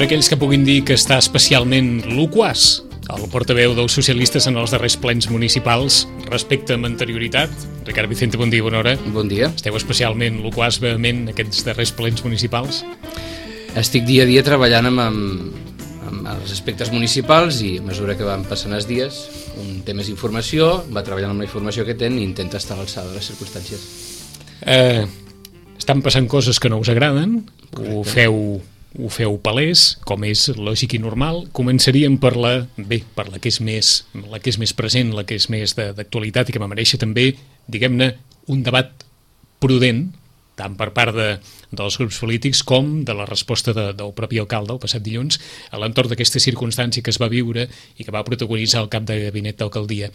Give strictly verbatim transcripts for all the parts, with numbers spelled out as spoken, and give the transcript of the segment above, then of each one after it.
Per aquells que puguin dir que està especialment loquaç, el portaveu dels socialistes en els darrers plens municipals, respecte amb anterioritat. Ricard Vicente, bon dia, bona hora. Bon dia. Esteu especialment loquaç, vehement, aquests darrers plens municipals? Estic dia a dia treballant amb, amb, amb els aspectes municipals i a mesura que van passant els dies, un té més informació, va treballant amb la informació que té i intenta estar a l'alçada de les circumstàncies. Eh, estan passant coses que no us agraden, Correcte. ho feu... ho feu palès, com és lògic i normal. Començaríem per la, bé, per la que és més, la que és més present, la que és més d'actualitat i que mereix també, diguem-ne, un debat prudent, tant per part de, dels grups polítics com de la resposta de, del propi alcalde el passat dilluns a l'entorn d'aquesta circumstància que es va viure i que va protagonitzar el cap de gabinet d'alcaldia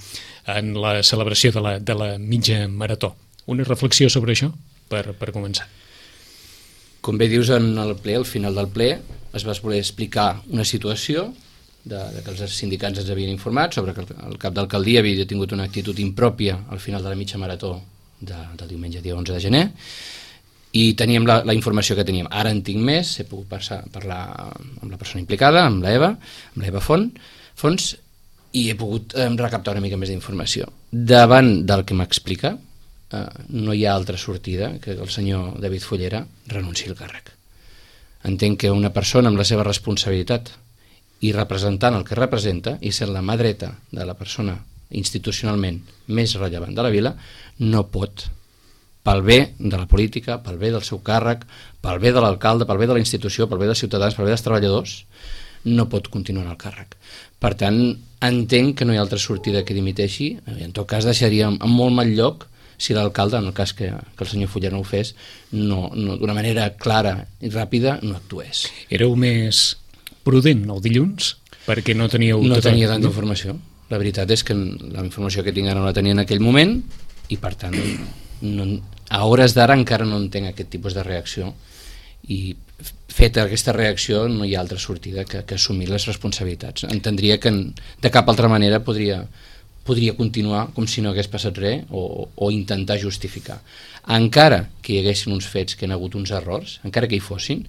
en la celebració de la, de la mitja marató. Una reflexió sobre això per, per començar. Com bé dius, en el ple, al final del ple, es va voler explicar una situació de, de que els sindicats ens havien informat sobre que el, el cap d'alcaldia havia tingut una actitud impròpia al final de la mitja marató de, del diumenge dia onze de gener i teníem la, la informació que teníem. Ara en tinc més, he pogut passar, parlar amb la persona implicada, amb l'Eva, amb l'Eva Font, Fons, i he pogut eh, recaptar una mica més d'informació. Davant del que m'explica, Uh, no hi ha altra sortida que el senyor David Follera renunciï al càrrec. Entenc que una persona amb la seva responsabilitat i representant el que representa i sent la mà dreta de la persona institucionalment més rellevant de la vila no pot, pel bé de la política, pel bé del seu càrrec, pel bé de l'alcalde, pel bé de la institució, pel bé dels ciutadans, pel bé dels treballadors, no pot continuar en el càrrec. Per tant, entenc que no hi ha altra sortida que dimiteixi. En tot cas deixaria en molt mal lloc si l'alcalde, en el cas que, que el senyor Follera no ho fes, no, no, d'una manera clara i ràpida no actués. Éreu més prudent el dilluns? Perquè no teníeu... No tot tenia el... tanta no? informació. La veritat és que la informació que tinc ara no la tenia en aquell moment i per tant no, a hores d'ara encara no entenc aquest tipus de reacció i feta aquesta reacció no hi ha altra sortida que, que assumir les responsabilitats. Entendria que de cap altra manera podria... podria continuar com si no hagués passat res o, o intentar justificar. Encara que hi haguessin uns fets que hi ha hagut uns errors, encara que hi fossin,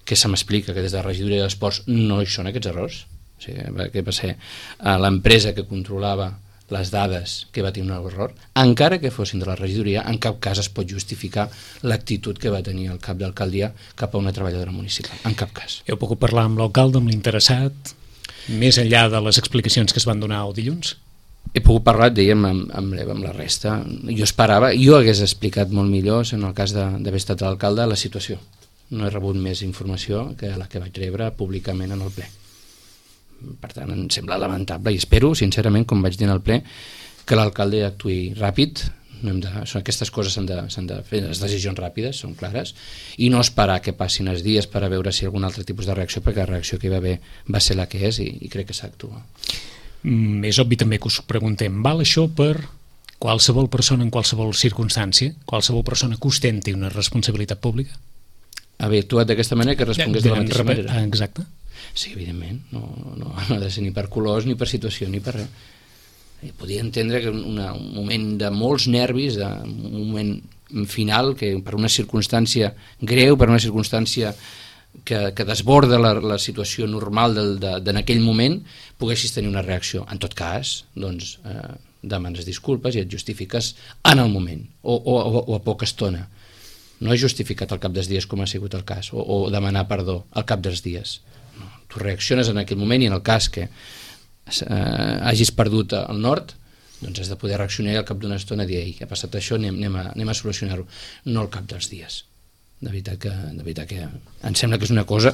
que se m'explica que des de la regidoria d'Esports no hi són aquests errors, o sigui, que va ser l'empresa que controlava les dades que va tenir un error, encara que fossin de la regidoria, en cap cas es pot justificar l'actitud que va tenir el cap d'alcaldia cap a una treballadora municipal, en cap cas. Heu pogut parlar amb l'alcalde, amb l'interessat, més enllà de les explicacions que es van donar el dilluns? He pogut parlar, dèiem, amb, amb, amb la resta. Jo esperava, jo hagués explicat molt millor, en el cas d'haver estat l'alcalde, la situació. No he rebut més informació que la que vaig rebre públicament en el ple. Per tant, em sembla lamentable i espero, sincerament, com vaig dir en el ple, que l'alcalde actuï ràpid. No hem de, són, aquestes coses s'han de, s'han de fer, les decisions ràpides, són clares, i no esperar que passin els dies per a veure si hi ha algun altre tipus de reacció, perquè la reacció que hi va haver va ser la que és i, i crec que s'actua. Mm, és obvi també que us preguntem, val això per qualsevol persona en qualsevol circumstància, qualsevol persona que ostenti una responsabilitat pública? Haver actuat d'aquesta manera que respongués de la mateixa manera. Exacte. Sí, evidentment, no, no, no ha de ser ni per colors, ni per situació, ni per res. Podia entendre que una, un moment de molts nervis, de, un moment final, que per una circumstància greu, per una circumstància que, que desborda la, la situació normal del, de, de, en aquell moment, poguessis tenir una reacció. En tot cas, doncs, eh, demanes disculpes i et justifiques en el moment, o, o, o a poca estona. No he justificat al cap dels dies com ha sigut el cas, o, o demanar perdó al cap dels dies. No, tu reacciones en aquell moment i en el cas que eh, hagis perdut el nord, doncs has de poder reaccionar al cap d'una estona i dir, ei, ha passat això, anem, anem, a, anem a solucionar-ho, no al cap dels dies. De veritat que, de veritat que em sembla que és una cosa...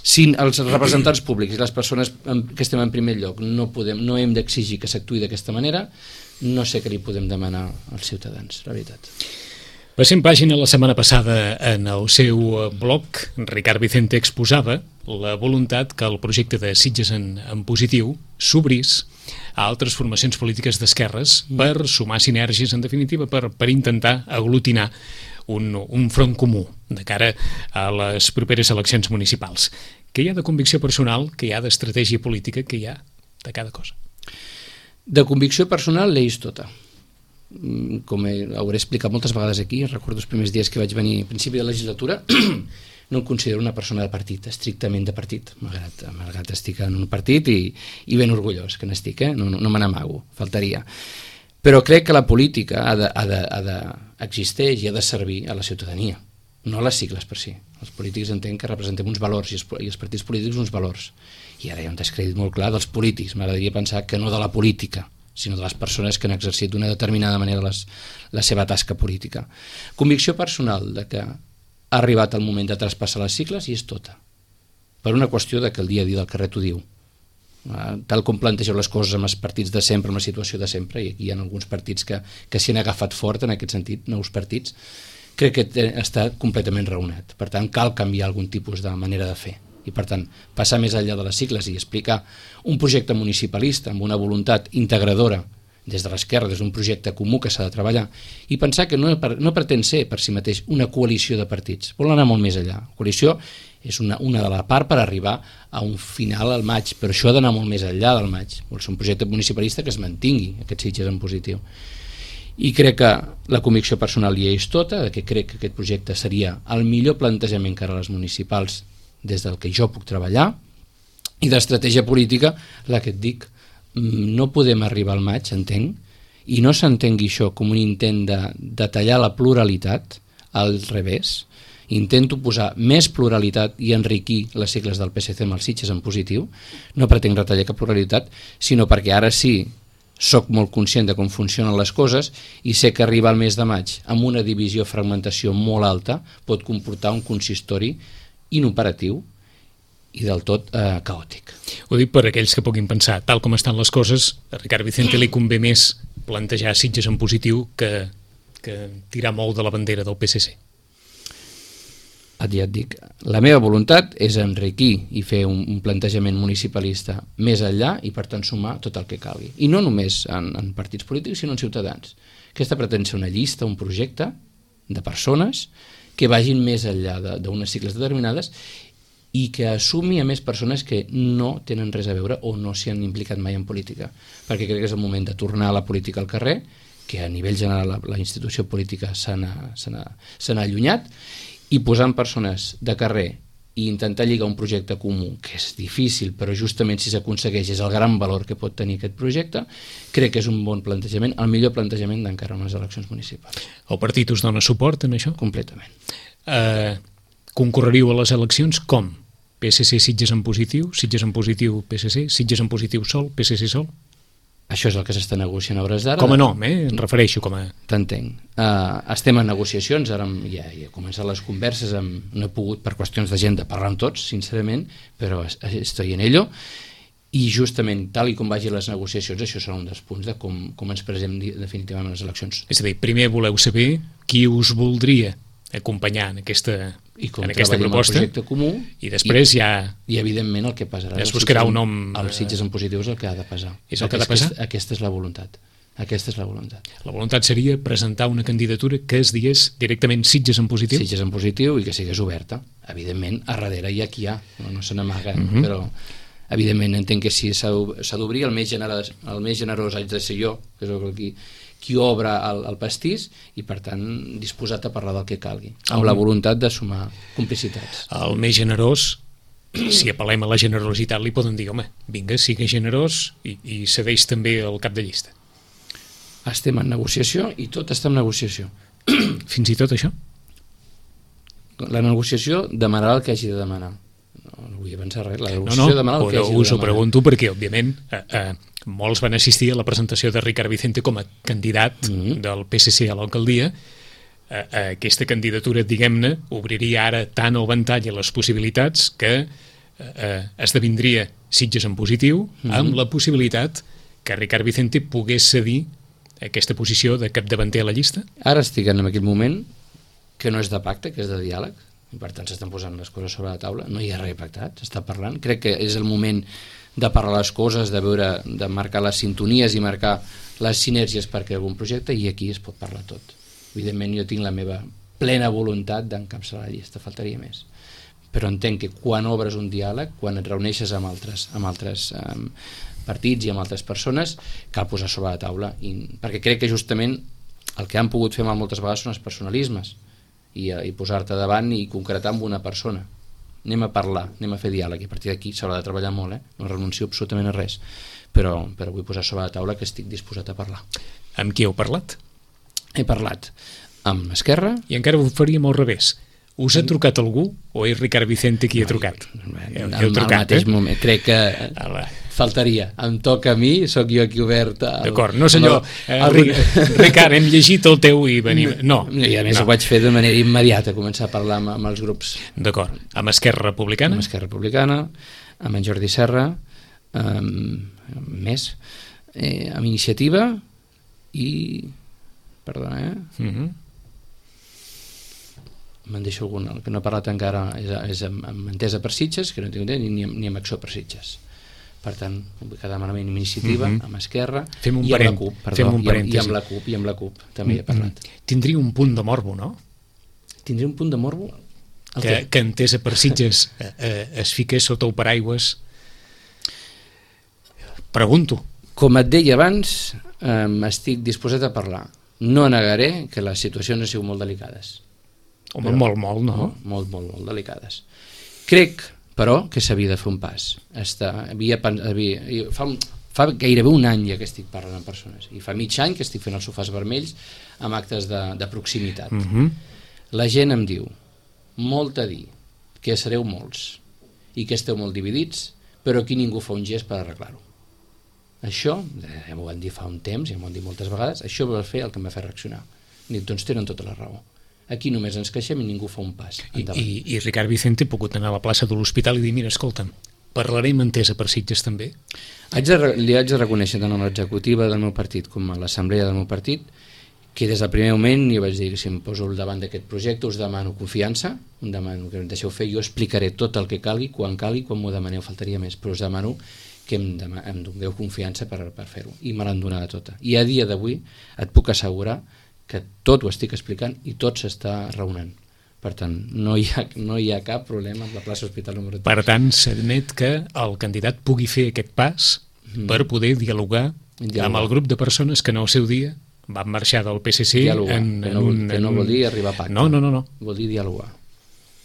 Si els representants públics i les persones que estem en primer lloc no, podem, no hem d'exigir que s'actuï d'aquesta manera, no sé què li podem demanar als ciutadans, la veritat. Passem pàgina la setmana passada en el seu blog, Ricard Vicente exposava la voluntat que el projecte de Sitges en, en positiu s'obrís a altres formacions polítiques d'esquerres per sumar sinergies, en definitiva, per, per intentar aglutinar un, un front comú de cara a les properes eleccions municipals. Què hi ha de convicció personal, què hi ha d'estratègia política, què hi ha de cada cosa? De convicció personal l'eix tota. Com he, hauré explicat moltes vegades aquí, recordo els primers dies que vaig venir a principi de legislatura, no em considero una persona de partit, estrictament de partit, malgrat, malgrat estic en un partit i, i ben orgullós que n'estic, eh? no, no, no me n'amago, faltaria. Però crec que la política ha de, ha de, ha de, existeix i ha de servir a la ciutadania, no a les sigles per si. Els polítics entenc que representem uns valors i els, i els partits polítics uns valors. I ara hi ha un descrèdit molt clar dels polítics, m'agradaria pensar que no de la política, sinó de les persones que han exercit d'una determinada manera les, la seva tasca política. Convicció personal de que ha arribat el moment de traspassar les sigles i és tota, per una qüestió de que el dia a dia del carrer t'ho diu. Tal com plantegeu les coses amb els partits de sempre, amb la situació de sempre, i aquí hi ha alguns partits que, que s'hi han agafat fort en aquest sentit, nous partits, crec que està completament raonat. Per tant, cal canviar algun tipus de manera de fer. I per tant, passar més enllà de les sigles i explicar un projecte municipalista amb una voluntat integradora des de l'esquerra, des d'un projecte comú que s'ha de treballar, i pensar que no, no pretén ser per si mateix una coalició de partits, vol anar molt més enllà. La coalició és una, una de la part per arribar a un final al maig, però això ha d'anar molt més enllà del maig, vol ser un projecte municipalista que es mantingui, aquest Sitges en positiu. I crec que la convicció personal hi és tota, que crec que aquest projecte seria el millor plantejament cara a les municipals des del que jo puc treballar, i d'estratègia política, la que et dic, no podem arribar al maig, entenc, i no s'entengui això com un intent de, de tallar la pluralitat, al revés. Intento posar més pluralitat i enriquir les sigles del P S C amb els Sitges en positiu. No pretenc retallar cap pluralitat, sinó perquè ara sí soc molt conscient de com funcionen les coses i sé que arribar al mes de maig amb una divisió, fragmentació molt alta pot comportar un consistori inoperatiu i del tot eh, caòtic. Ho dic per aquells que puguin pensar, tal com estan les coses, a Ricard Vicente li convé més plantejar Sitges en positiu que, que tirar molt de la bandera del P S C. Ja et dic, la meva voluntat és enriquir i fer un, un plantejament municipalista més enllà i per tant sumar tot el que calgui. I no només en, en partits polítics, sinó en ciutadans. Aquesta pretén ser una llista, un projecte de persones que vagin més enllà d'unes sigles determinades i que assumi a més persones que no tenen res a veure o no s'hi han implicat mai en política, perquè crec que és el moment de tornar a la política al carrer, que a nivell general la, la institució política se n'ha allunyat, i posar en persones de carrer i intentar lligar un projecte comú, que és difícil, però justament si s'aconsegueix és el gran valor que pot tenir aquest projecte, crec que és un bon plantejament, el millor plantejament d'encara unes eleccions municipals. El partit us dona suport en això? Completament. Eh, concorreríeu a les eleccions com? P S C Sitges en positiu, Sitges en positiu P S C, Sitges en positiu sol, P S C sol? Això és el que s'està negociant a hores d'ara. Com a nom, eh? Em refereixo com a... T'entenc. Uh, estem en negociacions, ara ja, ja he començat les converses, amb, no he pogut per qüestions d'agenda parlar amb tots, sincerament, però estoy en ello, i justament tal i com vagin les negociacions, això serà un dels punts de com, com ens presem definitivament a les eleccions. És a dir, primer voleu saber qui us voldria acompanyar en aquesta, I com en aquesta proposta, el projecte comú, i després i, ja... I evidentment el que passarà... Es buscarà un nom... Els Sitges en positiu és el que ha de passar. És el que ha de passar? Aquesta, aquesta és la voluntat. Aquesta és la voluntat. La voluntat seria presentar una candidatura que es digués directament Sitges en positiu? Sitges en positiu i que sigués oberta. Evidentment, a darrere hi ha qui hi ha, no, no se n'amaga, uh -huh. però evidentment entenc que si s'ha d'obrir, el, més generós, el més generós haig de ser jo, que és qui, qui obre el, el pastís, i per tant disposat a parlar del que calgui, amb el, la voluntat de sumar complicitats. El més generós, si apel·lem a la generositat, li poden dir, home, vinga, sigui generós i, i cedeix també el cap de llista. Estem en negociació i tot està en negociació. Fins i tot això? La negociació demanarà el que hagi de demanar. No, no vull avançar res. La negociació no, no, demanarà el que hagi de us demanar. Us ho pregunto perquè, òbviament, eh, eh, molts van assistir a la presentació de Ricard Vicente com a candidat mm-hmm. del P S C a l'alcaldia. Eh, eh, aquesta candidatura, diguem-ne, obriria ara tant el ventall a les possibilitats que eh, esdevindria Sitges en positiu, mm-hmm. amb la possibilitat que Ricard Vicente pogués cedir aquesta posició de capdavanter a la llista? Ara estic en aquell moment que no és de pacte, que és de diàleg, i per tant s'estan posant les coses sobre la taula, no hi ha res pactat, s'està parlant. Crec que és el moment de parlar les coses, de veure, de marcar les sintonies i marcar les sinergies per crear algun projecte, i aquí es pot parlar tot. Evidentment jo tinc la meva plena voluntat d'encapçalar la llista, faltaria més. Però entenc que quan obres un diàleg, quan et reuneixes amb altres, amb altres um, partits i amb altres persones, cal posar sobre la taula, i, perquè crec que justament el que han pogut fer mal moltes vegades són els personalismes, i, i posar-te davant i concretar amb una persona. Anem a parlar, anem a fer diàleg, i a partir d'aquí s'haurà de treballar molt, eh? No renuncio absolutament a res, però, però vull posar sobre la taula que estic disposat a parlar. Amb qui heu parlat? He parlat amb Esquerra. I encara ho faríem al revés. Us ha trucat algú o és Ricard Vicente qui ha trucat? Al mateix moment, crec que faltaria. Em toca a mi, sóc jo aquí obert. D'acord, no senyor, Ricard, hem llegit el teu i venim... No. I a més ho vaig fer de manera immediata, començar a parlar amb els grups. D'acord, amb Esquerra Republicana? Amb Esquerra Republicana, amb en Jordi Serra, amb més, amb Iniciativa i... Perdona, eh? Mhm. Me'n deixo algun, el que no he parlat encara és, és amb, amb Entesa per Sitges, que no tinc ni, ni, ni amb Acció per Sitges. Per tant, vull quedar malament amb Iniciativa, mm -hmm. amb Esquerra i amb la CUP, perdó, i, amb, i amb la CUP, i amb la CUP, també he parlat. Mm -hmm. Tindria un punt de morbo, no? Tindria un punt de morbo? Que, que Entesa per Sitges eh, eh, es fiqués sota el paraigües. Pregunto. Com et deia abans, eh, estic disposat a parlar. No negaré que les situacions han sigut molt delicades. Home, però, molt, molt, no? no? Molt, molt, molt delicades. Crec, però, que s'havia de fer un pas. Està, havia, havia, fa, un, fa gairebé un any ja que estic parlant amb persones, i fa mig any que estic fent els sofàs vermells amb actes de, de proximitat. Uh-huh. La gent em diu, molt a dir, que sereu molts, i que esteu molt dividits, però aquí ningú fa un gest per arreglar-ho. Això, ja m'ho van dir fa un temps, ja m'ho han dit moltes vegades, això va fer el que em va fer reaccionar. Dic, doncs tenen tota la raó. Aquí només ens queixem i ningú fa un pas endavant. I, i, i Ricard Vicente ha pogut anar a la plaça de l'Hospital i dir, mira, escolta'm, parlarem Entesa per Sitges també? Haig de, li haig de reconèixer tant a l'executiva del meu partit com a l'assemblea del meu partit que des del primer moment jo vaig dir que si em poso al davant d'aquest projecte us demano confiança, us demano que em deixeu fer, jo explicaré tot el que calgui, quan calgui, quan m'ho demaneu, faltaria més, però us demano que em, em doneu confiança per, per fer-ho, i me l'han donada tota. I a dia d'avui et puc assegurar que tot ho estic explicant i tot s'està raonant. Per tant, no hi ha, no hi ha cap problema amb la plaça Hospital número tres. Per tant, s'admet que el candidat pugui fer aquest pas mm. per poder dialogar, dialogar amb el grup de persones que en el seu dia van marxar del P S C dialogar, en, que, no, en un, que no vol dir arribar a pacte. No, no, no, no. Vol dir dialogar.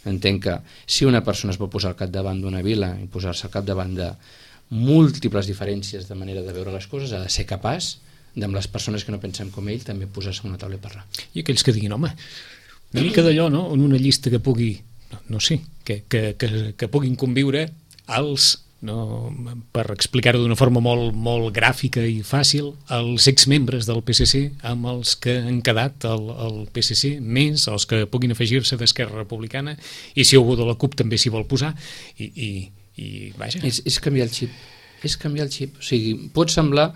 Entenc que si una persona es pot posar al capdavant d'una vila i posar-se al capdavant de múltiples diferències de manera de veure les coses, ha de ser capaç amb les persones que no pensem com ell també posar-se a una taula i parlar. I aquells que diguin, home, una mica d'allò, no?, en una llista que pugui, no, no sé, que, que, que, que puguin conviure els, no, per explicar-ho d'una forma molt, molt gràfica i fàcil, els exmembres del P S C amb els que han quedat al, al P S C, més els que puguin afegir-se d'Esquerra Republicana, i si algú de la CUP també s'hi vol posar, i, i, i vaja. És, és canviar el xip. és canviar el xip, o sigui, pot semblar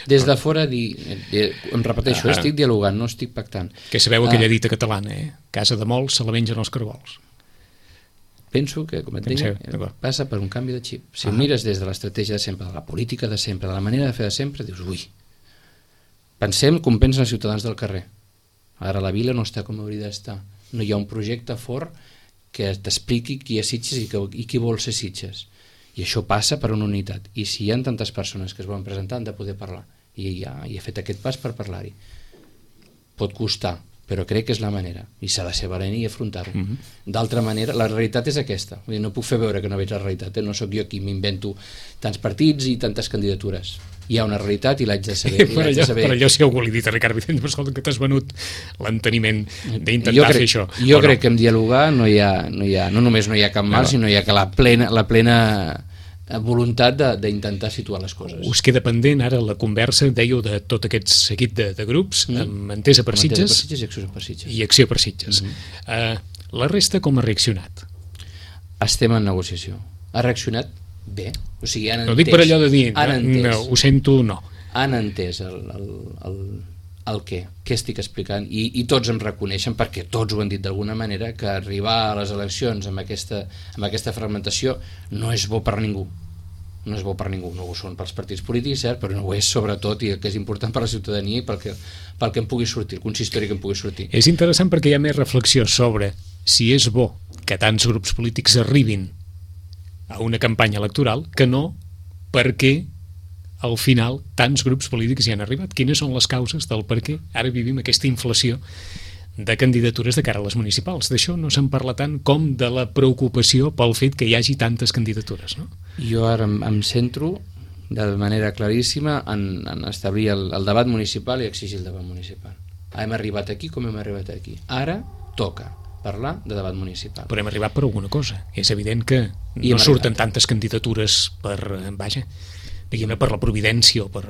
des de fora dir, em repeteixo, ah, estic dialogant, no estic pactant. Que sabeu aquella ah, dita catalana, eh? Casa de molts se la mengen els cargols. Penso que, com et deia, passa per un canvi de xip. Si ah. ho mires des de l'estratègia de sempre, de la política de sempre, de la manera de fer de sempre, dius, ui, pensem com pensen els ciutadans del carrer. Ara la vila no està com hauria d'estar. No hi ha un projecte fort que t'expliqui qui és Sitges i, que, i qui vol ser Sitges. I això passa per una unitat. I si hi ha tantes persones que es volen presentar, han de poder parlar. I ja i he fet aquest pas per parlar-hi. Pot costar, però crec que és la manera. I s'ha de ser valent i afrontar-ho. Mm-hmm. D'altra manera, la realitat és aquesta. Vull dir, no puc fer veure que no veig la realitat. Eh? No sóc jo qui m'invento tants partits i tantes candidatures. Hi ha una realitat i l'haig de saber. Per allò, saber. Per allò si algú li ha dit a Ricard Vicente, però escolta, que t'has venut l'enteniment d'intentar crec, fer això. Jo crec no? que en dialogar no hi ha, no hi ha, no només no hi ha cap mal, no. sinó hi ha que la plena, la plena voluntat d'intentar situar les coses. Us queda pendent ara la conversa, dèieu, de tot aquest seguit de, de grups, mm. amb Entesa per Sitges i Acció per Sitges. I Acció per Sitges. Mm-hmm. uh, la resta com ha reaccionat? Estem en negociació. Ha reaccionat bé. O sigui, han entès. No dic per allò de dir, no, no, ho sento, no. Han entès el, el, el, el què, què estic explicant, i, i tots em reconeixen, perquè tots ho han dit d'alguna manera, que arribar a les eleccions amb aquesta, amb aquesta fragmentació no és bo per ningú. No és bo per ningú, no ho són pels partits polítics, cert, però no ho és sobretot, i el que és important per la ciutadania i pel que, pel que em pugui sortir, el consistori que em pugui sortir. És interessant perquè hi ha més reflexió sobre si és bo que tants grups polítics arribin a una campanya electoral que no perquè al final tants grups polítics hi han arribat. Quines són les causes del per què ara vivim aquesta inflació de candidatures de cara a les municipals. D'això no se'n parla tant com de la preocupació pel fet que hi hagi tantes candidatures, no? Jo ara em, em centro de manera claríssima en, en establir el, el debat municipal i exigir el debat municipal. Hem arribat aquí com hem arribat aquí. Ara toca parlar de debat municipal. Però hem arribat per alguna cosa. És evident que I no surten arribat. tantes candidatures per, vaja, diguem-ne, per la providència o per...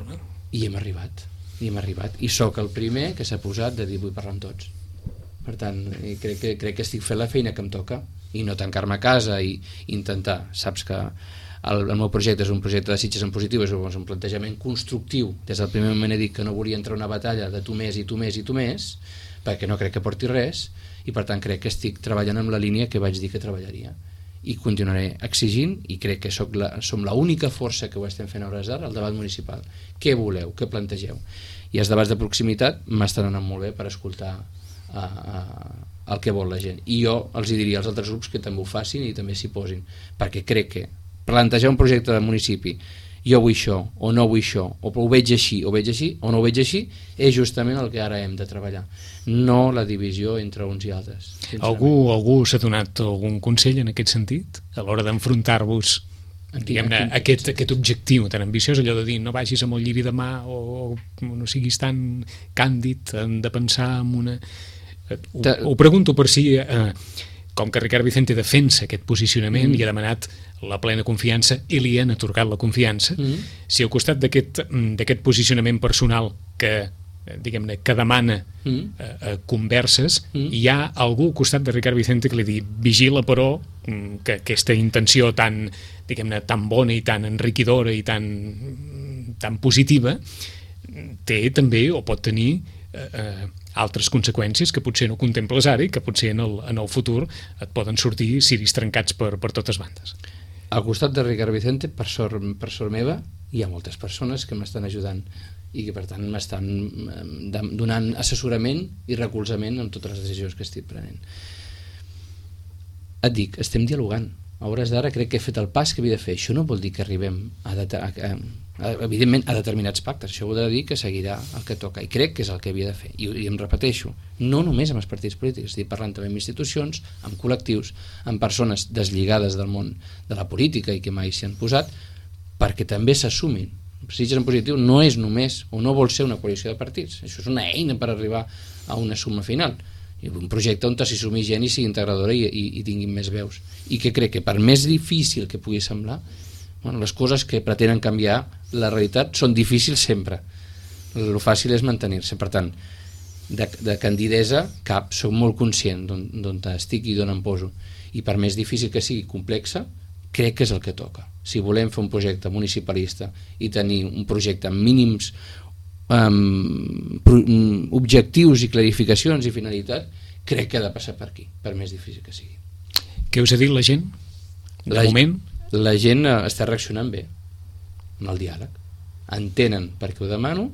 I hem arribat. I hem arribat. I sóc el primer que s'ha posat de dir vull parlar amb tots. Per tant, crec que, crec que estic fent la feina que em toca i no tancar-me a casa i intentar, saps que el, el meu projecte és un projecte de Sitges en positiu, és un plantejament constructiu. Des del primer moment he dit que no volia entrar a una batalla de tu més i tu més i tu més, perquè no crec que porti res, i per tant crec que estic treballant amb la línia que vaig dir que treballaria. I continuaré exigint, i crec que soc la, som l'única força que ho estem fent a hores d'ara, el debat municipal. Què voleu? Què plantegeu? I els debats de proximitat m'estan anant molt bé per escoltar a, a, el que vol la gent. I jo els diria als altres grups que també ho facin i també s'hi posin, perquè crec que plantejar un projecte de municipi, jo vull això, o no vull això, o ho veig així, o veig així, o no ho veig així, és justament el que ara hem de treballar, no la divisió entre uns i altres. Algú, algú s'ha donat algun consell en aquest sentit a l'hora d'enfrontar-vos, diguem-ne, aquest, aquest objectiu tan ambiciós, allò de dir no vagis amb el lliri de mà o no siguis tan càndid, hem de pensar en una... Ho, ho pregunto per si... Eh, com que Ricard Vicente defensa aquest posicionament mm. i ha demanat la plena confiança i li han atorgat la confiança, mm. si al costat d'aquest d'aquest posicionament personal que, diguem-ne, que demana mm. eh, converses, mm. hi ha algú al costat de Ricard Vicente que li diu vigila però que aquesta intenció tan, diguem-ne, tan bona i tan enriquidora i tan, tan positiva té també o pot tenir eh, eh, altres conseqüències que potser no contemples ara i que potser en el, en el futur et poden sortir ciris trencats per, per totes bandes. Al costat de Ricard Vicente, per sort, per sort meva, hi ha moltes persones que m'estan ajudant i que per tant m'estan donant assessorament i recolzament en totes les decisions que estic prenent. Et dic, estem dialogant. A hores d'ara crec que he fet el pas que havia de fer. Això no vol dir que arribem a, a, a, a, evidentment a determinats pactes. Això vol dir que seguirà el que toca i crec que és el que havia de fer. I, i em repeteixo, no només amb els partits polítics, estic parlant també amb institucions, amb col·lectius, amb persones deslligades del món de la política i que mai s'hi han posat, perquè també s'assumin. Sitges en positiu no és només o no vol ser una coalició de partits, això és una eina per arribar a una suma final. Un projecte on s'hi sumi gent i sigui integradora i, i, i tinguin més veus. I que crec que per més difícil que pugui semblar, bueno, les coses que pretenen canviar la realitat són difícils sempre. El fàcil és mantenir-se. Per tant, de, de candidesa cap, soc molt conscient d'on estic i d'on em poso. I per més difícil que sigui complexa, crec que és el que toca. Si volem fer un projecte municipalista i tenir un projecte amb mínims Um, pro, um, objectius i clarificacions i finalitat, crec que ha de passar per aquí, per més difícil que sigui. Què us ha dit la gent? De la, moment? La gent està reaccionant bé amb el diàleg, entenen per què ho demano,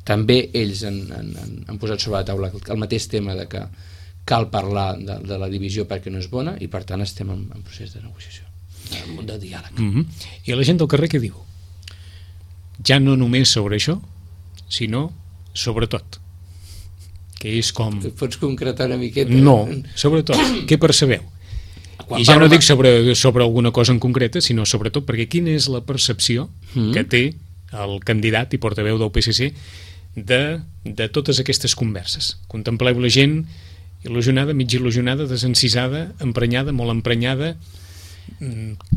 també ells han, han, han posat sobre la taula el mateix tema de que cal parlar de, de la divisió perquè no és bona i per tant estem en, en procés de negociació, de diàleg. Mm-hmm. I la gent del carrer què diu? Ja no només sobre això, sinó sobretot, que és com... Pots concretar una miqueta? No, sobretot, què percebeu? Quan I ja no dic sobre, sobre alguna cosa en concreta, sinó sobretot perquè quina és la percepció mm. que té el candidat i portaveu del P S C de, de totes aquestes converses. Contempleu la gent il·lusionada, mig il·lusionada, desencisada, emprenyada, molt emprenyada,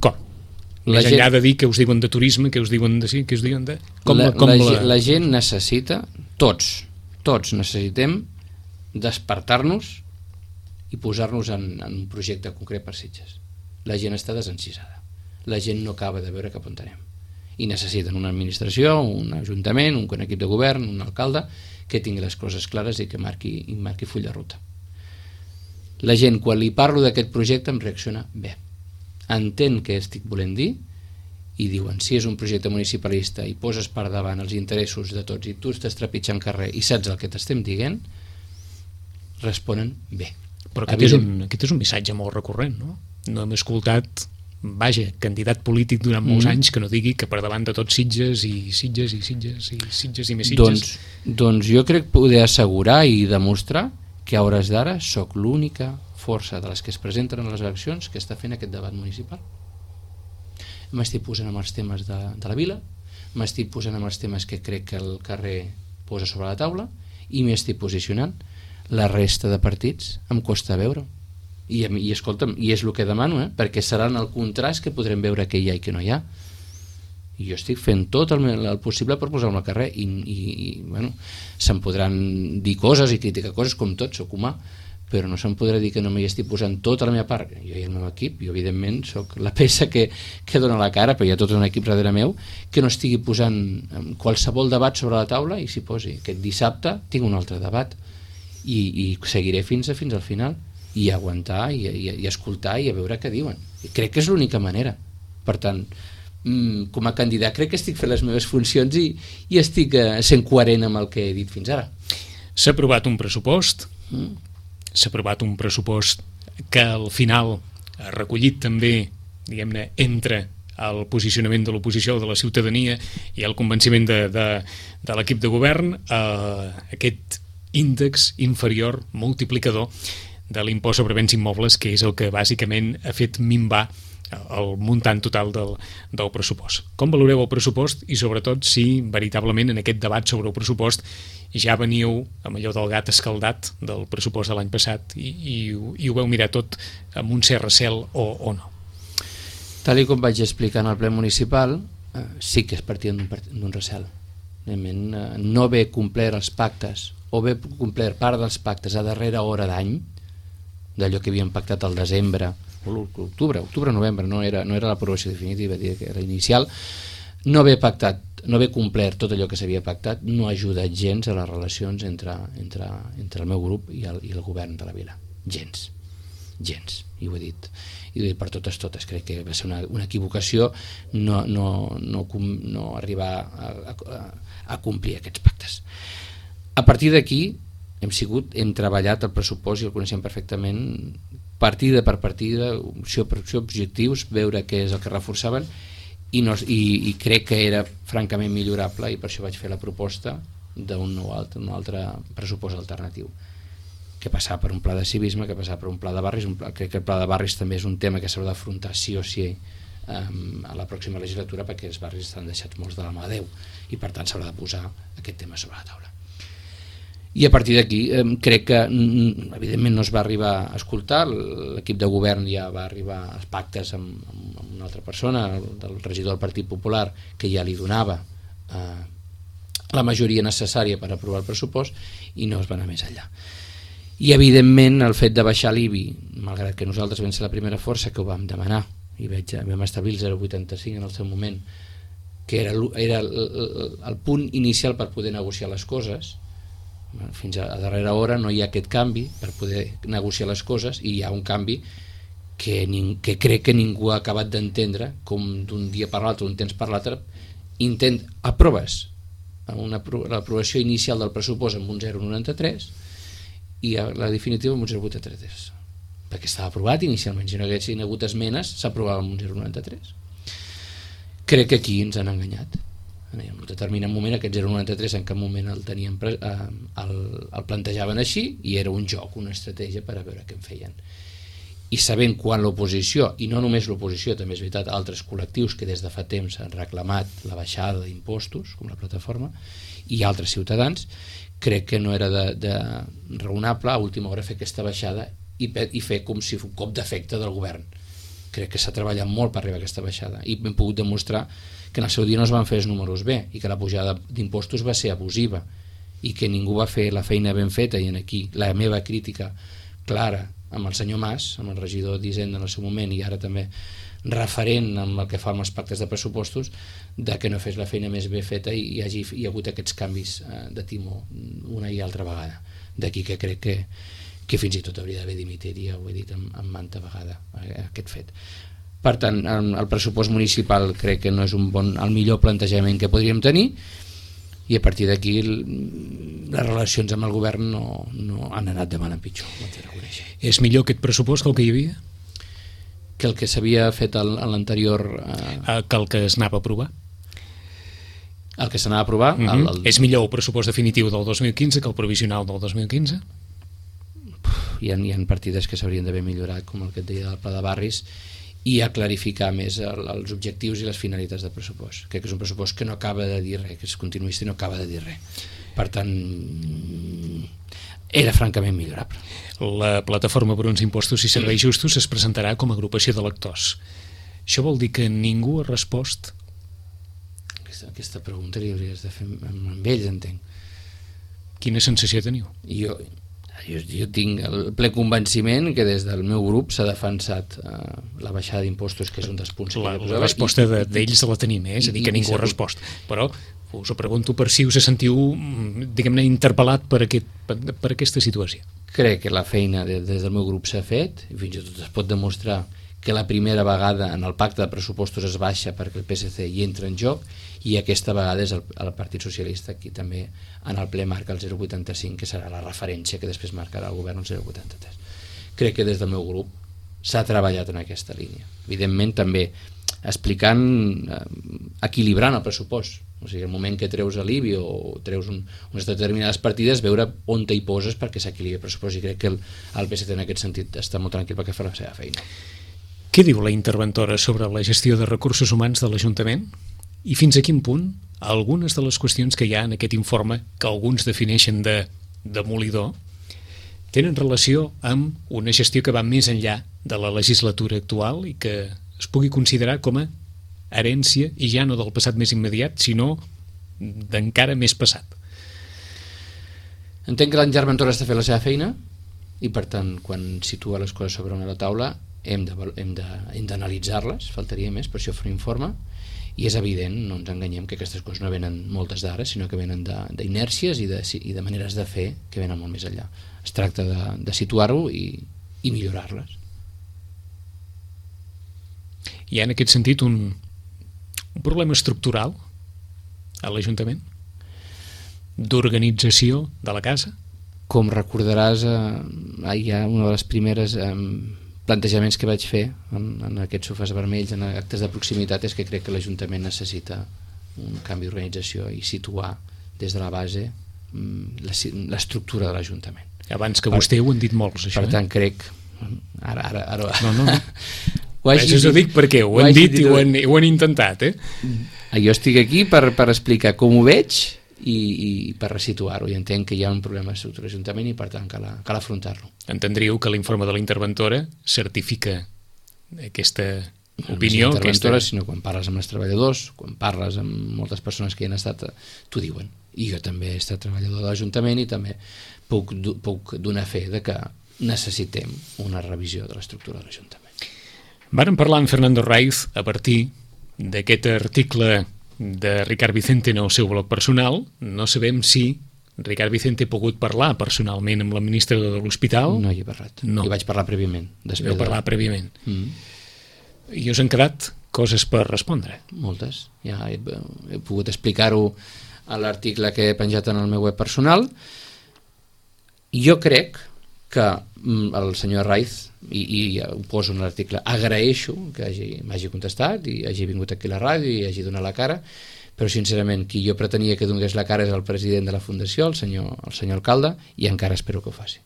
com? La Més gent... enllà de dir que us diuen de turisme, que us diuen de sí, que us diuen de... Com la, com la, la... la gent necessita, tots, tots necessitem despertar-nos i posar-nos en, en un projecte concret per Sitges. La gent està desencisada. La gent no acaba de veure cap on anem. I necessiten una administració, un ajuntament, un equip de govern, un alcalde, que tingui les coses clares i que marqui, i marqui full de ruta. La gent, quan li parlo d'aquest projecte, em reacciona bé. Entén què estic volent dir i diuen, si és un projecte municipalista i poses per davant els interessos de tots i tu estàs trepitjant carrer i saps el que t'estem dient, responen bé. Però aquest és, un, aquest és un missatge molt recurrent, no? No hem escoltat, vaja, candidat polític durant molts mm. anys que no digui que per davant de tots Sitges i Sitges i Sitges i Sitges i més Sitges. Doncs, doncs jo crec poder assegurar i demostrar que a hores d'ara sóc l'única força de les que es presenten a les eleccions que està fent aquest debat municipal. M'estic posant amb els temes de, de la vila, m'estic posant amb els temes que crec que el carrer posa sobre la taula i m'hi estic posicionant. La resta de partits em costa veure. I, i escolta'm, i és el que demano, eh? Perquè seran el contrast que podrem veure què hi ha i què no hi ha. I jo estic fent tot el, el possible per posar-me al carrer i, i, i bueno, se'm podran dir coses i criticar coses com tot, soc humà, però no se'm podrà dir que no m'hi estic posant tota la meva part. Jo i el meu equip, jo evidentment soc la peça que, que dona la cara, però hi ha tot un equip darrere meu que no estigui posant qualsevol debat sobre la taula i s'hi posi. Aquest dissabte tinc un altre debat i, i seguiré fins a fins al final i aguantar i, i, i escoltar i a veure què diuen. I crec que és l'única manera. Per tant, com a candidat crec que estic fent les meves funcions i, i estic sent coherent amb el que he dit fins ara. S'ha aprovat un pressupost, Mm. s'ha aprovat un pressupost que al final ha recollit també, diguem-ne, entre el posicionament de l'oposició de la ciutadania i el convenciment de, de, de l'equip de govern, eh, aquest índex inferior multiplicador de l'impost sobre béns immobles, que és el que bàsicament ha fet minvar el muntant total del, del pressupost. Com valoreu el pressupost i sobretot si veritablement en aquest debat sobre el pressupost ja veníeu amb allò del gat escaldat del pressupost de l'any passat i, i, i ho veu mirar tot amb un cert recel o, o no? Tal i com vaig explicar en el ple municipal, eh, sí que es partia d'un recel. Realment, eh, no haver complert els pactes o haver complert part dels pactes a darrera hora d'any, d'allò que havíem pactat al desembre o l'octubre, octubre-novembre, no era, no era l'aprovació definitiva, que era inicial, no haver pactat, no haver complert tot allò que s'havia pactat no ha ajudat gens a les relacions entre, entre, entre el meu grup i el, i el govern de la vila. Gens. Gens. I ho he dit. I ho he dit per totes totes. Crec que va ser una, una equivocació no, no, no, no arribar a, a, a complir aquests pactes. A partir d'aquí hem sigut, hem treballat el pressupost i el coneixem perfectament partida per partida, opció per opció, objectius, veure què és el que reforçaven i, no, i, i crec que era francament millorable i per això vaig fer la proposta d'un nou altre, un altre pressupost alternatiu que passava per un pla de civisme, que passava per un pla de barris. Un pla, crec que el pla de barris també és un tema que s'haurà d'afrontar sí o sí um, a la pròxima legislatura perquè els barris estan deixats molts de la mà de Déu i per tant s'haurà de posar aquest tema sobre la taula. I a partir d'aquí eh, crec que evidentment no es va arribar a escoltar, l'equip de govern ja va arribar als pactes amb, amb una altra persona, del regidor del Partit Popular, que ja li donava eh, la majoria necessària per aprovar el pressupost i no es va anar més enllà. I evidentment el fet de baixar l'I B I, malgrat que nosaltres vam ser la primera força que ho vam demanar i veig, vam establir el zero coma vuitanta-cinc en el seu moment, que era, era el, el, el punt inicial per poder negociar les coses. Fins a, a darrera hora no hi ha aquest canvi per poder negociar les coses i hi ha un canvi que, ning, que crec que ningú ha acabat d'entendre, com d'un dia per l'altre, un temps per l'altre intent, aproves una, l'aprovació inicial del pressupost amb un zero coma noranta-tres i la definitiva amb un zero coma vuitanta-tres, perquè estava aprovat inicialment. Si no haguessin hagut esmenes s'aprovava amb un zero coma noranta-tres. Crec que aquí ens han enganyat. En un determinat moment aquest zero coma noranta-tres en cap moment el teníem eh, el, el plantejaven així i era un joc, una estratègia per a veure què en feien. I sabent quan l'oposició, i no només l'oposició, també és veritat, altres col·lectius que des de fa temps han reclamat la baixada d'impostos, com la plataforma, i altres ciutadans, crec que no era de, de raonable a última hora fer aquesta baixada i, i fer com si fos un cop d'efecte del govern. Crec que s'ha treballat molt per arribar a aquesta baixada i hem pogut demostrar que en el seu dia no es van fer els números bé i que la pujada d'impostos va ser abusiva i que ningú va fer la feina ben feta. I en aquí la meva crítica clara amb el senyor Mas, amb el regidor d'Hisenda en el seu moment i ara també referent amb el que fa amb els pactes de pressupostos, de que no fes la feina més bé feta i hi hagi hi ha hagut aquests canvis de timó una i altra vegada. D'aquí que crec que, que fins i tot hauria d'haver dimitit, ja ho he dit amb, amb manta vegada aquest fet. Per tant, el pressupost municipal crec que no és un bon, el millor plantejament que podríem tenir i a partir d'aquí les relacions amb el govern no, no han anat de mal en pitjor. És millor aquest pressupost que el que hi havia? Que el que s'havia fet en l'anterior... Eh... Que el que es anava a aprovar? El que s'anava a aprovar... Mm-hmm. el, el... És millor el pressupost definitiu del dos mil quinze que el provisional del dos mil quinze? hi ha, hi ha partides que s'haurien d'haver millorat, com el que et deia del pla de barris, i a clarificar més el, els objectius i les finalitats del pressupost. Crec que és un pressupost que no acaba de dir res, que és continuista i no acaba de dir res. Per tant, era francament millorable. La plataforma per uns impostos i serveis justos es presentarà com a agrupació de lectors. Això vol dir que ningú ha respost? Aquesta, aquesta pregunta li hauries de fer amb, amb ells, entenc. Quina sensació teniu? Jo, jo, jo tinc el ple convenciment que des del meu grup s'ha defensat eh, la baixada d'impostos, que és un dels punts la, que la resposta de, d'ells la tenim, eh? És a dir, que ningú ha respost. Però us ho pregunto per si us sentiu, diguem-ne, interpel·lat per, aquest, per, per aquesta situació. Crec que la feina des, des del meu grup s'ha fet, i fins i tot es pot demostrar que la primera vegada en el pacte de pressupostos es baixa perquè el P S C hi entra en joc, i aquesta vegada és el, el Partit Socialista qui també en el ple marca el zero coma vuitanta-cinc, que serà la referència que després marcarà el govern el zero coma vuitanta-tres. Crec que des del meu grup s'ha treballat en aquesta línia. Evidentment també explicant, eh, equilibrant el pressupost. O sigui, el moment que treus l'I B I o treus un, unes determinades partides, veure on te hi poses perquè s'equilibri el pressupost, i crec que el, el P S C en aquest sentit està molt tranquil perquè fa la seva feina. Què diu la interventora sobre la gestió de recursos humans de l'Ajuntament? I fins a quin punt algunes de les qüestions que hi ha en aquest informe, que alguns defineixen de demolidor, tenen relació amb una gestió que va més enllà de la legislatura actual i que es pugui considerar com a herència, i ja no del passat més immediat, sinó d'encara més passat? Entenc que l'interventora està fent la seva feina, i per tant, quan situa les coses sobre una taula, hem de, hem de, hem d'analitzar-les, faltaria més, per això fer un informe, i és evident, no ens enganyem, que aquestes coses no venen moltes d'ara, sinó que venen d'inèrcies i, de, i de maneres de fer que venen molt més enllà. Es tracta de, de situar-ho i, i millorar-les. Hi ha en aquest sentit un, un problema estructural a l'Ajuntament? D'organització de la casa? Com recordaràs, eh, hi ha una de les primeres eh, plantejaments que vaig fer en, en aquests sofàs vermells, en actes de proximitat, és que crec que l'Ajuntament necessita un canvi d'organització i situar des de la base l'estructura de l'Ajuntament. Abans que per, vostè ho han dit molts, això. Per eh? tant, crec... Ara, ara, ara... No, no, no. Ho hagi dit, ho dic perquè ho, ho han dit, dit i ho han, ho han intentat, eh? Jo estic aquí per, per explicar com ho veig i, i per resituar-ho, i entenc que hi ha un problema d'estructura de l'Ajuntament i per tant cal, cal afrontar-lo. Entendríeu que l'informe de la interventora certifica aquesta no opinió? No interventora, aquesta... sinó quan parles amb els treballadors, quan parles amb moltes persones que hi han estat, t'ho diuen. I jo també he estat treballador de l'Ajuntament i també puc, puc donar fe de que necessitem una revisió de l'estructura de l'Ajuntament. Vàrem parlar amb Fernando Raiz a partir d'aquest article de Ricard Vicente en el seu blog personal. No sabem si Ricard Vicente ha pogut parlar personalment amb l'administrador de l'hospital. No hi he parlat, no. Hi vaig parlar prèviament. Hi vau parlar de... prèviament. Mm. I us han quedat coses per respondre. Moltes. Ja he, he pogut explicar-ho a l'article que he penjat en el meu web personal. Jo crec que el senyor Raiz, i, i ho poso en l'article, agraeixo que m'hagi contestat i hagi vingut aquí a la ràdio i hagi donat la cara, però sincerament qui jo pretenia que donés la cara és el president de la Fundació, el senyor, el senyor alcalde, i encara espero que ho faci.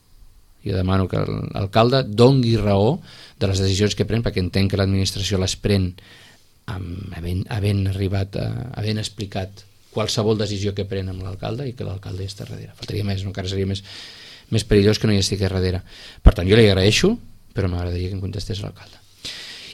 Jo demano que l'alcalde dongui raó de les decisions que pren, perquè entenc que l'administració les pren amb, havent, havent arribat, a, havent explicat qualsevol decisió que pren amb l'alcalde, i que l'alcalde hi està darrere. Faltaria més, no? Encara seria més, més perillós que no hi estigui darrere. Per tant, jo li agraeixo, però m'agradaria que em contestés l'alcalde.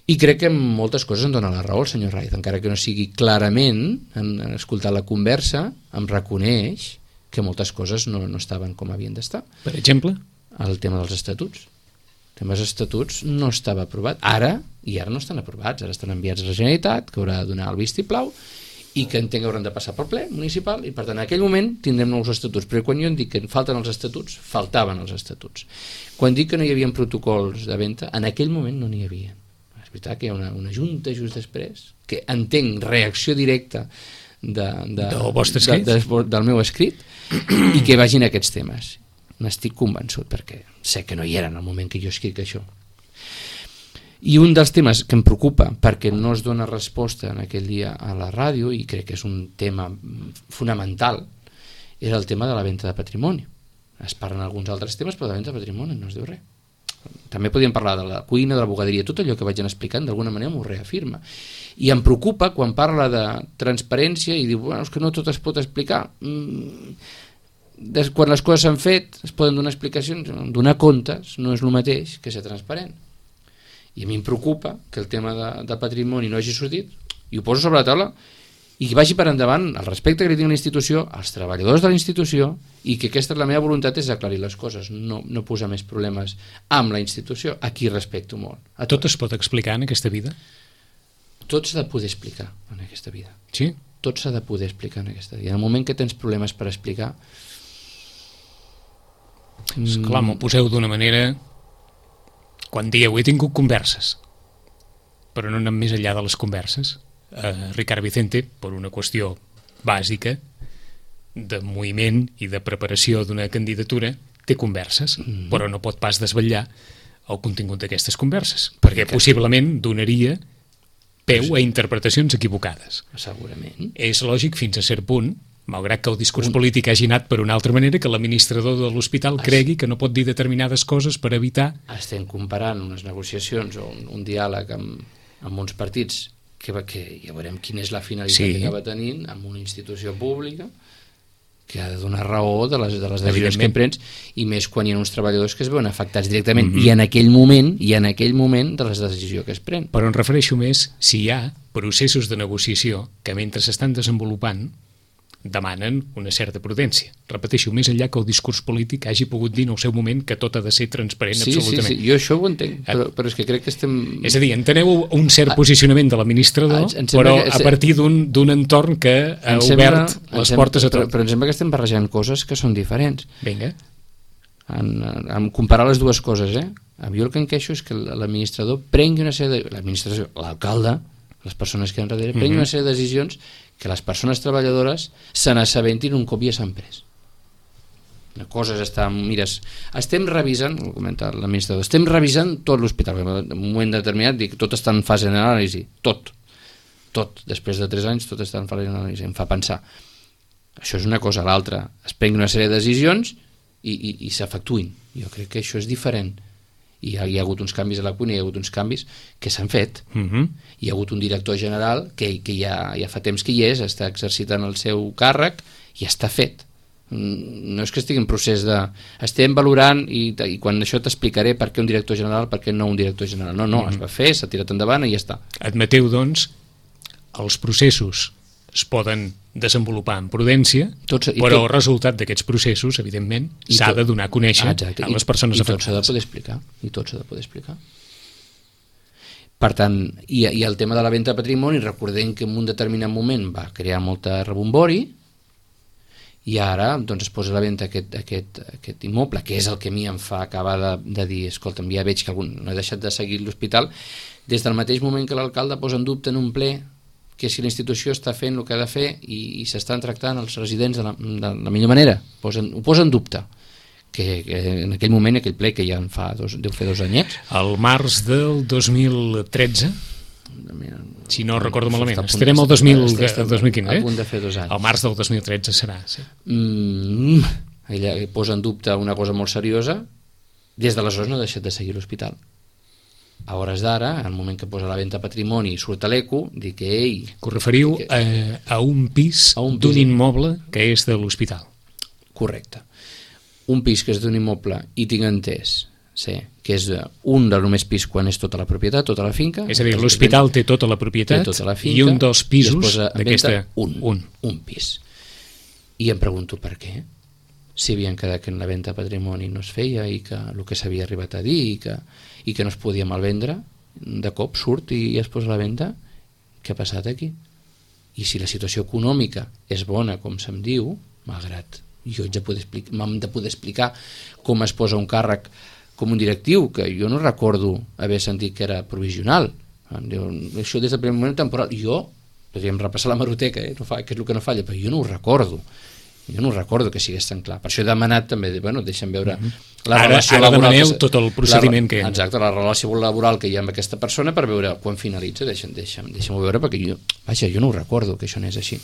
I crec que en moltes coses em dona la raó el senyor Raiz, encara que no sigui clarament, en, en escoltar la conversa, em reconeix que moltes coses no, no estaven com havien d'estar. Per exemple? El tema dels estatuts. El tema dels estatuts no estava aprovat. Ara, i ara no estan aprovats, ara estan enviats a la Generalitat, que haurà de donar el vistiplau, i que entenc que hauran de passar pel ple municipal, i per tant en aquell moment tindrem nous estatuts. Però quan jo em dic que falten els estatuts, faltaven els estatuts. Quan dic que no hi havia protocols de venda, en aquell moment no n'hi havia. És veritat que hi ha una, una junta just després, que entenc reacció directa de, de, del vostre escrit, de, de, del meu escrit, i que vagin aquests temes. N'estic convençut, perquè sé que no hi era en el moment que jo escric això. I un dels temes que em preocupa, perquè no es dona resposta en aquell dia a la ràdio, i crec que és un tema fonamental, és el tema de la venda de patrimoni. Es parlen alguns altres temes, però de la venda de patrimoni no es diu res. També podríem parlar de la cuina, de la bugaderia, tot allò que vaig anar explicant d'alguna manera m'ho reafirma. I em preocupa quan parla de transparència i diu, bueno, és que no tot es pot explicar. Mm, des, quan les coses s'han fet es poden donar explicacions, donar comptes no és el mateix que ser transparent. I a mi em preocupa que el tema de, de patrimoni no hagi sortit, i ho poso sobre la taula, i que vagi per endavant el respecte que li tinc a la institució, als treballadors de la institució, i que aquesta és la meva voluntat, és aclarir les coses, no, no posar més problemes amb la institució, a qui respecto molt. A tot. tot es pot explicar en aquesta vida? Tot s'ha de poder explicar en aquesta vida. Sí? Tot s'ha de poder explicar en aquesta vida. En el moment que tens problemes per explicar... Esclar, m'ho poseu d'una manera... Quan dieu, he tingut converses, però no anem més enllà de les converses. Uh, Ricard Vicente, per una qüestió bàsica de moviment i de preparació d'una candidatura, té converses, mm-hmm. però no pot pas desvetllar el contingut d'aquestes converses, perquè que... possiblement donaria peu a interpretacions equivocades. Segurament. És lògic fins a cert punt, malgrat que el discurs un... polític hagi anat per una altra manera, que l'administrador de l'hospital es... cregui que no pot dir determinades coses per evitar... Estem comparant unes negociacions o un, un diàleg amb, amb uns partits que, que ja veurem quina és la finalitat sí. que acaba tenint amb una institució pública que ha de donar raó de les, de les decisions que prens, i més quan hi ha uns treballadors que es veuen afectats directament mm-hmm. i en aquell moment i en aquell moment de les decisions que es pren. Però em refereixo més si hi ha processos de negociació que mentre s'estan desenvolupant demanen una certa prudència. Repeteixo, més enllà que el discurs polític hagi pogut dir en el seu moment que tot ha de ser transparent sí, absolutament. Sí, sí, jo això ho entenc, però, però és que crec que estem... És a dir, enteneu un cert posicionament de l'administrador, però que... a partir d'un entorn que ha em obert sembla, les sembla, portes a tot. Però, però em sembla que estem barrejant coses que són diferents. Vinga. En, en comparar les dues coses, eh? Jo el que em queixo és que l'administrador prengui una sèrie de... L'administració, l'alcalde, les persones que han darrere, prengui mm-hmm. una sèrie de decisions que les persones treballadores se n'assabentin un cop ja s'han pres. Una cosa és estar... Mires, estem revisant, ho comenta l'administrador, estem revisant tot l'hospital. En un moment determinat dic, tot està en fase d'anàlisi. Tot. Tot. Després de tres anys, tot està en fase d'anàlisi. Em fa pensar. Això és una cosa. L'altra, es prengui una sèrie de decisions i, i, i s'efectuïn. Jo crec que això és diferent. I hi ha, hi ha hagut uns canvis a la cuina, hi ha hagut uns canvis que s'han fet. Uh-huh. Hi ha hagut un director general que, que ja, ja fa temps que hi és, està exercitant el seu càrrec i està fet. No és que estigui en procés de... Estem valorant i, i quan això t'explicaré per què un director general, per què no un director general. No, no, uh-huh. es va fer, s'ha tirat endavant i ja està. Admeteu, doncs, els processos es poden desenvolupar amb prudència, Tots, però tot, el resultat d'aquests processos, evidentment, s'ha de donar a conèixer exacte, a les persones i, i afectades. I tot s'ha de poder explicar. I tot s'ha de poder explicar. Per tant, i, i el tema de la venda de patrimoni, recordem que en un determinat moment va crear molta rebombori i ara doncs, es posa a la venda aquest, aquest, aquest immoble, que és el que a mi em fa acabar de, de dir, escolta'm, ja veig que algun, no he deixat de seguir l'hospital, des del mateix moment que l'alcalde posa en dubte en un ple que si la institució està fent el que ha de fer i, i s'estan tractant els residents de la, de la millor manera, posen, ho posa en dubte, que, que en aquell moment, aquell ple que ja en fa dos, deu fer dos anyets. El març del dos mil tretze, si no recordo malament, estarem al dos mil quinze, a punt de fer dos anys. El març del dos mil tretze serà, sí. Mm, ella posa en dubte una cosa molt seriosa, des d'aleshores no ha deixat de seguir l'hospital. A hores d'ara, al moment que posa la venda patrimoni i surt a l'eco, dic que ell... Que us referiu que, a, a un pis, pis d'un immoble que és de l'hospital. Correcte. Un pis que és d'un immoble i tinc entès, sí, que és un de només pis quan és tota la propietat, tota la finca. És a dir, l'hospital té tota la propietat tota la finca, i un dels pisos d'aquesta... Un, un. un pis. I em pregunto per què. Si havien quedat que en la venda patrimoni no es feia i que el que s'havia arribat a dir i que, i que no es podia malvendre, de cop surt i es posa a la venda, què ha passat aquí? I si la situació econòmica és bona, com se'm diu, malgrat jo haig de poder explicar, m'hem de poder explicar com es posa un càrrec com un directiu, que jo no recordo haver sentit que era provisional. Diu, això des del primer moment temporal. Jo, podríem repassar la hemeroteca, eh? No fa, que és el que no falla, però jo no ho recordo. Jo no recordo que sigués tan clar. Per això he demanat també, bueno, deixa'm veure mm-hmm. la ara, relació ara laboral... Ara demaneu tot el procediment la, que hi ha. Exacte, la relació laboral que hi ha amb aquesta persona per veure quan finalitza, deixa'm, deixa'm, deixa'm veure, perquè jo, vaja, jo no ho recordo que això no és així.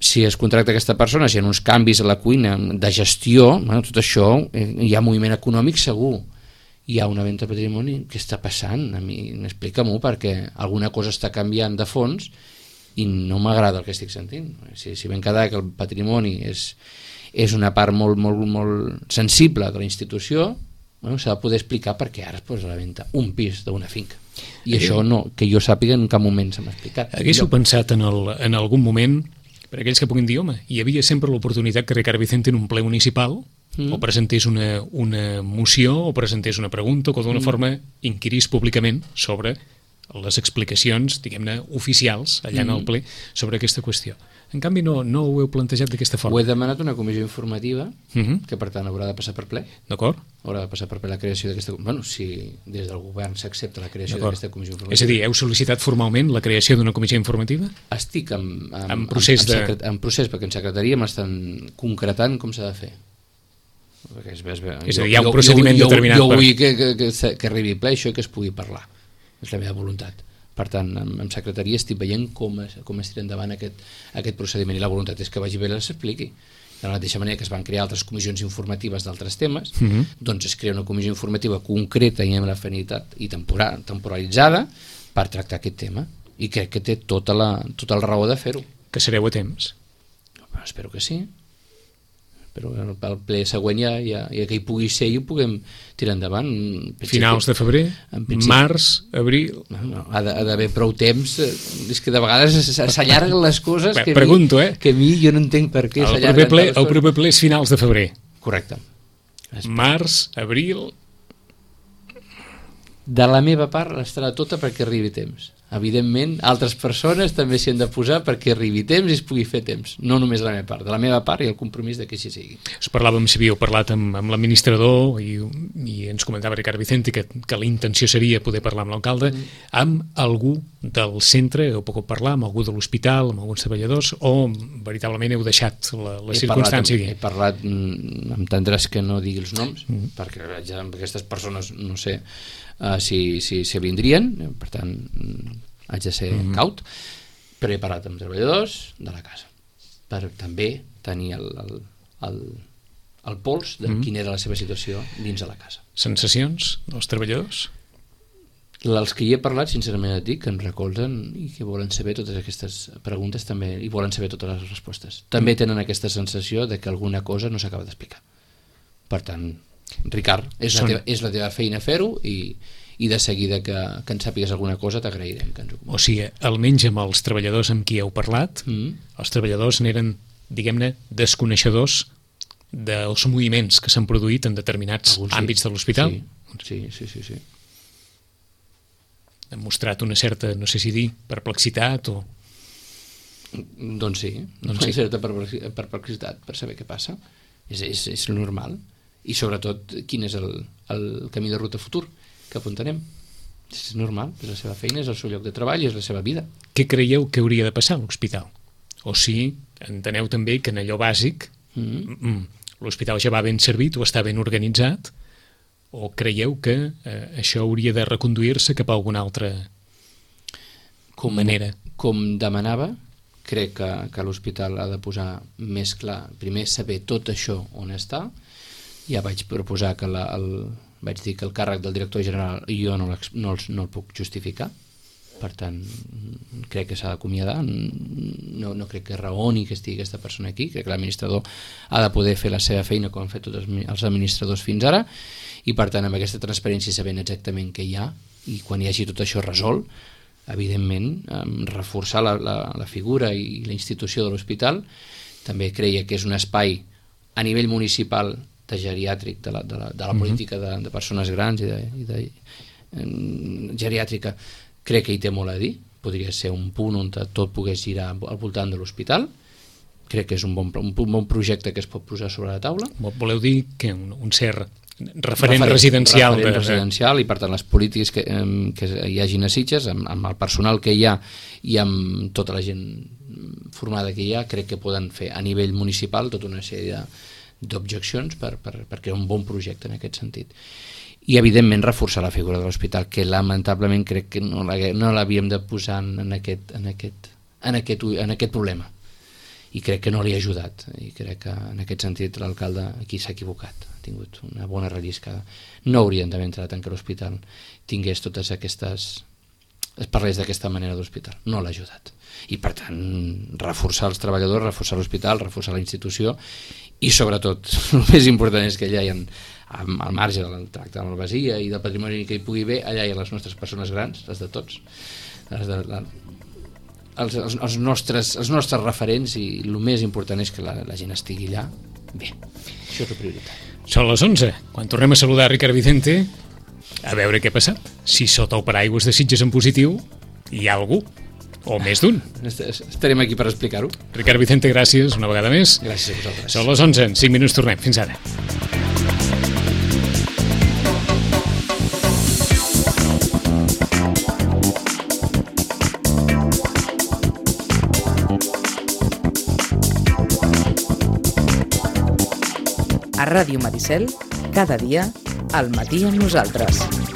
Si es contracta aquesta persona, si hi ha uns canvis a la cuina de gestió, bueno, tot això, eh, hi ha moviment econòmic segur. hi ha una venda de patrimoni, què està passant? A mi m'explica-m'ho, perquè alguna cosa està canviant de fons i no m'agrada el que estic sentint. Si, si ben quedar que el patrimoni és, és una part molt, molt, molt sensible de la institució, bueno, s'ha de poder explicar per què ara es posa a la venda un pis d'una finca. I eh, això no, que jo sàpiga en cap moment se m'ha explicat. Haguéssiu pensat en, el, en algun moment, per aquells que puguin dir, home, hi havia sempre l'oportunitat que Ricard Vicente en un ple municipal mm. o presentés una, una moció o presentés una pregunta o que d'una mm. forma inquirís públicament sobre les explicacions, diguem-ne, oficials allà mm. en el ple sobre aquesta qüestió. En canvi, no, no ho heu plantejat d'aquesta forma. Ho he demanat una comissió informativa, mm-hmm. que per tant haurà de passar per ple. D'acord. Haurà de passar per ple la creació d'aquesta... Bueno, si des del govern s'accepta la creació d'aquesta comissió informativa. És a dir, heu sol·licitat formalment la creació d'una comissió informativa? Estic en, en, en, procés, en, de... secret, en procés, perquè en secretaria m'estan concretant com s'ha de fer. Perquè és, és, és a dir, hi ha un procediment jo, determinat. Jo, jo vull que, que, que, que arribi ple això i que es pugui parlar. És la meva voluntat. Per tant, en, en secretaria estic veient com es, com es tira endavant aquest, aquest procediment i la voluntat és que vagi bé i s'expliqui. De la mateixa manera que es van crear altres comissions informatives d'altres temes, mm-hmm. doncs es crea una comissió informativa concreta i amb l'afinitat i temporal, temporalitzada per tractar aquest tema. I crec que té tota la, tota la raó de fer-ho. Que sereu a temps? Però espero que sí. Però el ple següent ja, ja, ja que hi pugui ser i ho puguem tirar endavant. Finals de febrer, març, abril... No, no, ha d'haver prou temps. És que de vegades s'allarguen les coses que, Pregunto, mi, eh? que a mi jo no entenc per què s'allarguen. El proper ple, el proper ple és finals de febrer. Correcte. Març, abril... De la meva part estarà tota perquè arribi temps. Evidentment, altres persones també s'hi han de posar perquè arribi temps i es pugui fer temps. No només de la meva part, de la meva part i el compromís de que així sigui. Us parlàvem, si havíeu parlat amb, amb l'administrador i, i ens comentava Ricard Vicente que, que la intenció seria poder parlar amb l'alcalde, mm. amb algú del centre, heu pogut parlar amb algú de l'hospital, amb alguns treballadors, o veritablement heu deixat la, la he circumstància? Parlat, he parlat, m'entendràs que no digui els noms, mm. perquè ja amb aquestes persones no sé uh, si, si, si vindrien, per tant haig de ser mm. caut, però he parlat amb treballadors de la casa per també tenir el, el, el, el pols de mm. quina era la seva situació dins de la casa. Sensacions dels treballadors? Els que hi he parlat, sincerament et dic, que em recolzen i que volen saber totes aquestes preguntes també i volen saber totes les respostes. També tenen aquesta sensació de que alguna cosa no s'acaba d'explicar. Per tant, Ricard, és, Són... la teva, és la teva feina fer-ho i i de seguida que, que ens sàpigues alguna cosa t'agrairem que ens ho comentes. O sigui, almenys amb els treballadors amb qui heu parlat, mm. els treballadors n'eren, diguem-ne, desconeixedors dels moviments que s'han produït en determinats Alguns àmbits sí. de l'hospital? Sí, sí, sí, sí, sí. Han mostrat una certa, no sé si dir, perplexitat o... Doncs sí, doncs una sí. certa perplexitat per saber què passa. És, és, és normal. I sobretot, quin és el, el camí de ruta futur que apuntarem. És normal, és la seva feina, és el seu lloc de treball, és la seva vida. Què creieu que hauria de passar a l'hospital? O si enteneu també que en allò bàsic mm. l'hospital ja va ben servit o està ben organitzat, o creieu que eh, això hauria de reconduir-se cap a alguna altra com, manera? Com demanava, crec que, que l'hospital ha de posar més clar, primer saber tot això on està. Ja vaig proposar que la, el vaig dir que el càrrec del director general jo no, no, el, no el puc justificar, per tant crec que s'ha d'acomiadar, no, no crec que raoni que estigui aquesta persona aquí, crec que l'administrador ha de poder fer la seva feina com han fet tots els administradors fins ara, i per tant amb aquesta transparència sabent exactament què hi ha i quan hi hagi tot això resolt, evidentment reforçar la, la, la figura i la institució de l'hospital. També creia que és un espai a nivell municipal de geriàtric, de la, de la, de la política de, de persones grans i de, i de um, geriàtrica, crec que hi té molt a dir. Podria ser un punt on tot pogués girar al voltant de l'hospital. Crec que és un bon, un bon projecte que es pot posar sobre la taula. Voleu dir que un, un cert referent, referent residencial referent de... residencial i per tant les polítiques que, que hi hagin a Sitges amb, amb el personal que hi ha i amb tota la gent formada que hi ha, crec que poden fer a nivell municipal tota una sèrie de d'objeccions per, per, per crear un bon projecte en aquest sentit. I evidentment reforçar la figura de l'hospital, que lamentablement crec que no l'havíem de posar en aquest, en, aquest, en, aquest, en aquest problema. i crec que no li ha ajudat, i crec que en aquest sentit l'alcalde aquí s'ha equivocat, ha tingut una bona relliscada. No haurien d'haver entrat en que l'hospital tingués totes aquestes... es parlés d'aquesta manera d'hospital, no l'ha ajudat. I per tant, reforçar els treballadors, reforçar l'hospital, reforçar la institució, i sobretot, el més important és que allà hi ha, al marge del tracte de l'Albasia i del patrimoni que hi pugui haver, allà hi ha les nostres persones grans, les de tots, les de, la, els, els, els, nostres, els nostres referents, i el més important és que la, la gent estigui allà bé. Això és la prioritat. Són les onze. Quan tornem a saludar Ricard Vicente, a veure què ha passat. Si sota el paraigües de Sitges en positiu hi ha algú, o més d'un. Estarem aquí per explicar-ho. Ricard Vicente, gràcies una vegada més. Gràcies a vosaltres. Són les onze, en cinc minuts tornem. Fins ara. A Ràdio Maricel, cada dia, al matí amb nosaltres.